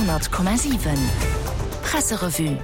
100,7 Presserevue.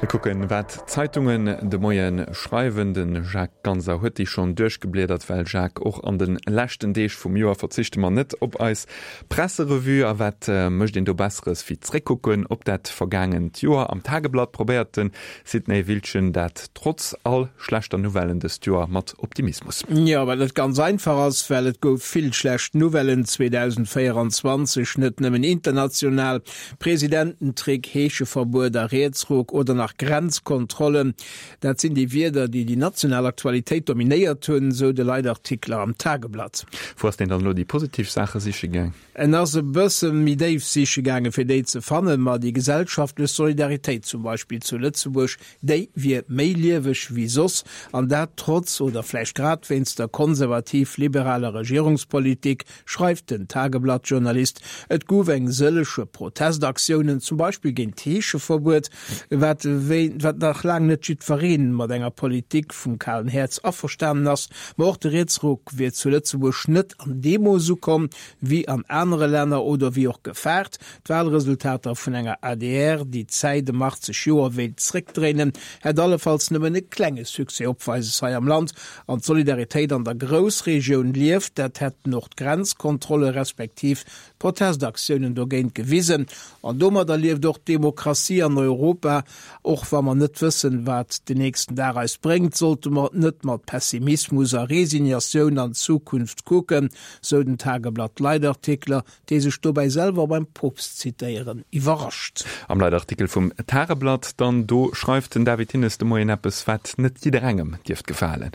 Mir kucken, wat d'Zeitungen de Moie schreiwen. De Jacques Ganser huet déi schonn duerchgebliedert. Well Jacques, och an de leschten Deeg vum Joer verzichte mer net op eis Presserevue. A wat mécht een do Besseres wéi zréckkucken op dat vergaangent Joer? Am Tageblatt probéiert de Sidney Wiltgen dat trotz all schlechter Nouvellen dëst Joer mat Optimismus. Jo, wat net ganz einfach ass, well et gouf vill schlecht Nouvellen 2024, net nëmmen international, Presidententrick, Heescheverbuet a Rietsruck oder nach Grenzkontrollen, dat sinn déi Wierder, déi déi national Aktualitéit dominéiert hunn, sou de Leitartikler am Tageblatt. Wou ass deen dann elo déi positiv Saache siche gaang? En ass e bësse méi déif siche gaange fir déi ze fannen, ma déi gesellschaftlech Solidaritéit zum Beispill zu Lëtzebuerg, déi wier méi lieweg wéi soss, an dat trotz oder vläicht grad wéinst der konservativ-liberaler Regierungspolitik, schreift den Tageblatt-Journalist. Et gouf eng sëllege Protestaktiounen, zum Beispill géint d'Heescheverbuet, wat wat nach laang net jiddweree mat enger Politik vum kalen Häerz averstanen ass. Ma och de Rietsruck wier zu Lëtzebuerg net an deem Mooss ukomm, wéi an anere Länner oder wéi och gefaart. D'Wahlresultater vun enger adr, déi d'Zäit ëm 80 Joer wéilt zréckdréinen, hätt allefalls nëmmen e klenge Succès opweises hei am Land. An d'Solidaritéit an der Groussregioun lieft, dat hätten och d'Grenzkontrolle respektiv d'Protestaktiounen dogéint gewisen. An domadder lieft och d'Demokratie an Europa. Och wa mer net wëssen, wat den nächsten Dag eis bréngt, sollte mer net mat Pessimismus a Resignatioun an d'Zukunft kucken, sou den Tageblatt-Leitartikler, dee sech dobäi selwer beim Poopst zitéieren iwwerrascht. Am Leitartikel vum Tageblatt dann, do schreift den David Hinnes de Moien eppes, wat net jidderengem dierft gefalen.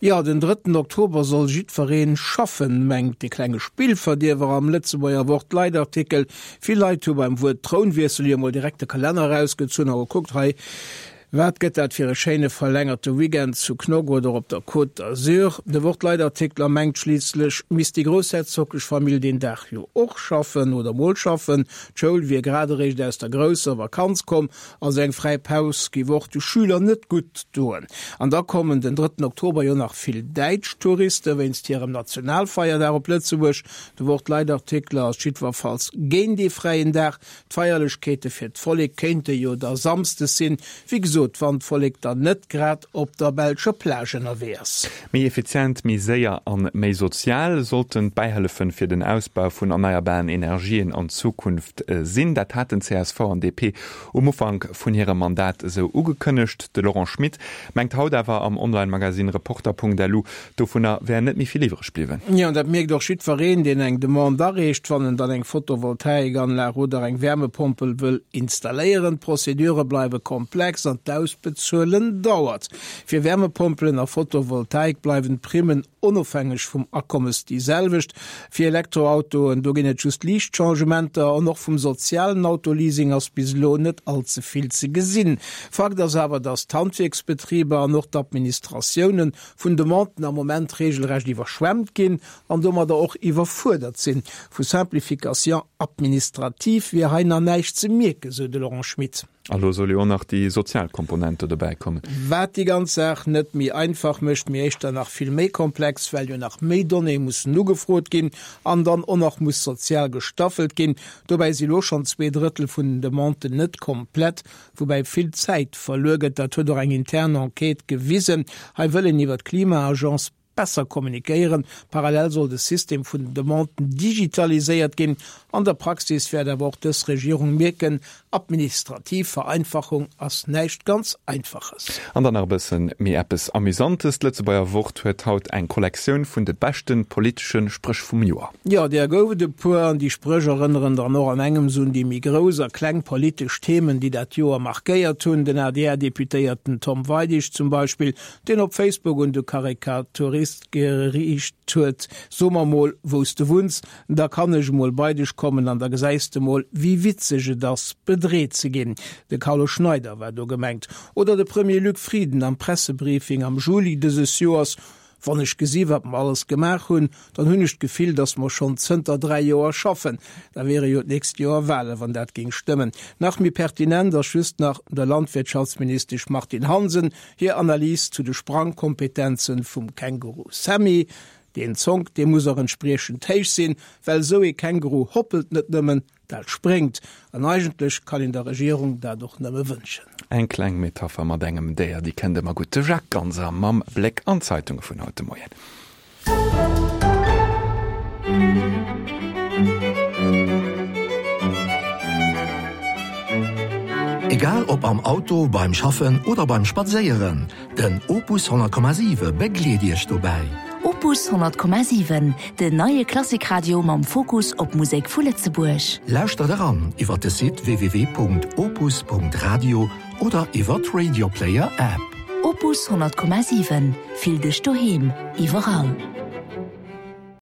Jo, den drëtten Oktober soll jiddwereen schaffen, mengt de klenge Spillverdierwer am Lëtzebuerger Wort Leitartikel. Vill Leit hu beim Wuert Trounwiessel jo mol direkt de Kalenner erausgezunn a gekuckt, hei, wat gëtt dat fir e schéine verlängerte Weekend zu Knock oder op der Côte d'Azur. De Wort Leitartikler mengt, schliisslech misst déi groussherzoglech Famill deen Dag jo och schaffen oder mol schaffen. D'Schoul wier grad eréischt aus der grousser Vakanz komm Also eng fräi Paus géif och de Schüler net gutt doen. An da kommen den drëtten Oktober jo nach vill däitsch Touriste wéinst hirem Nationalfeierdag op Lëtzebuerg. De Wort-Leitartikler ass jiddwerfalls géint ee fräien Dag. D'Feierlechkeete fir d'Vollek kéinte jo da samsdes sinn. Wéi gesot, wann d'Vollek dann net grad op der belscher Plage ënnerwee ass. Méi effizient, méi séier an méi sozial sollten d'Bäihëllefen fir den Ausbau vun erneierbaren Energien an Zukunft sinn. Dat haten csv an DP um Ufank vun hirem Mandat esou ugekënnegt. De Laurent Schmit mengt haut awer am Online-Magazine Reporter.lu, dovunner wär net méi vill iwwreg bliwwen. Jo, an dat mierkt och jiddwereen, deen eng Demande areecht, wann en dann eng Photovoltaikanlag oder eng Wärmepompel wëll installéieren. D'Prozedure bleiwe komplex an d'Ausbezuelen dauert. Fir Wärmepompelen a Photovoltaik bleiwen d'Primmen onofhängeg vum Akommes déi selwecht. Fir Elektroautoen, do ginn et just liicht Changementer an och vum sozialen Autoleasing ass bis elo net all ze vill ze gesinn. Fakt ass awer, datt d'Handwierksbetriber an och d'Administratioune vun Demanden am Moment reegelrecht iwwerschwemmt ginn an domadder och iwwerfuerdert sinn. Vu Simplification administrative wier hei nach näischt ze mierken, sou de Laurent Schmit. A lo soll jo och nach déi sozial Komponent do dobäi kommen. Wat déi ganz Saach net méi einfach mécht, mee éischter nach vill méi komplex, well jo nach méi Donnéeë mussen ugefrot ginn an dann och nach muss sozial gestaffelt ginn. Dobäi si lo schonn zweedrëttel vun den Demanden net komplett, woubäi vill Zäit verluer gëtt. Dat huet och eng intern Enquête gewisen. Hei wëll een iwwer d'Klima-Agence besser kommunikéieren. Parallel soll de System vun den Demanden digitaliséiert ginn. An der Praxis wäert awer och dës Regierung mierken, administrativ Vereinfachung ass näischt ganz Einfaches. An dann nach e bëssen méi eppes Amüsantes, D'Lëtzebuerger Wort huet haut eng Kollektioun vun de beschte politesche Spréch vum Joer. Jo, där gouf et e puer, an déi Spréch erënneren dann och an engems un déi méi grouss a kleng politesch Themen, déi dat Joer markéiert hunn. Den ADR-Deputéierten Tom Weidig zum Beispill, deen op Facebook un de Karikaturist geriicht huet, So mer mol, wou s de wunns, da kann ech mol bei dech kommen an da gesäis de mol, wéi witzeg et ass, bedreet ze ginn. De Carlo Schneider war do gemengt. Oder de Premier Luc Frieden am Pressebriefing am Juli dëses Joers, Wann ech gesi wat mer alles gemaach hunn, dann hunn ech d'Gefill, datt mer schonn zënter 3 Joer schaffen. Da wiere jo d'nächst Joer Wahlen, wann dat géing stëmmen. Nach méi pertinent ass just nach der Landwirtschaftsministesch Martine Hansen hir Analys zu de Sprangkompetenzen vum Känguru Sammy. Deen Zonk, dee muss och entspriechend héich sinn, well esou ee Känguru hoppelt net nëmmen. Dat spréngt. An eigentlech kann een der Regierung dat och nëmme wënschen. Eng kleng Metapher mat engem Déier, déi kënnt ëmmer gutt. De Jacques Ganser mam Bléck an d'Zeitunge vun haut de Moien. Egal ob am Auto, beim Schaffen oder beim Spadséieren, den Opus 100,7 begleet Iech dobäi. Opus 100,7, den neie Klassikradio mam Fokus op Musek vu Lëtzebuerg. Lauschtert eran iwwer de Site www.opus.radio oder iwwer d'Radioplayer App. Opus 100,7, fill dech doheem, iwwerall.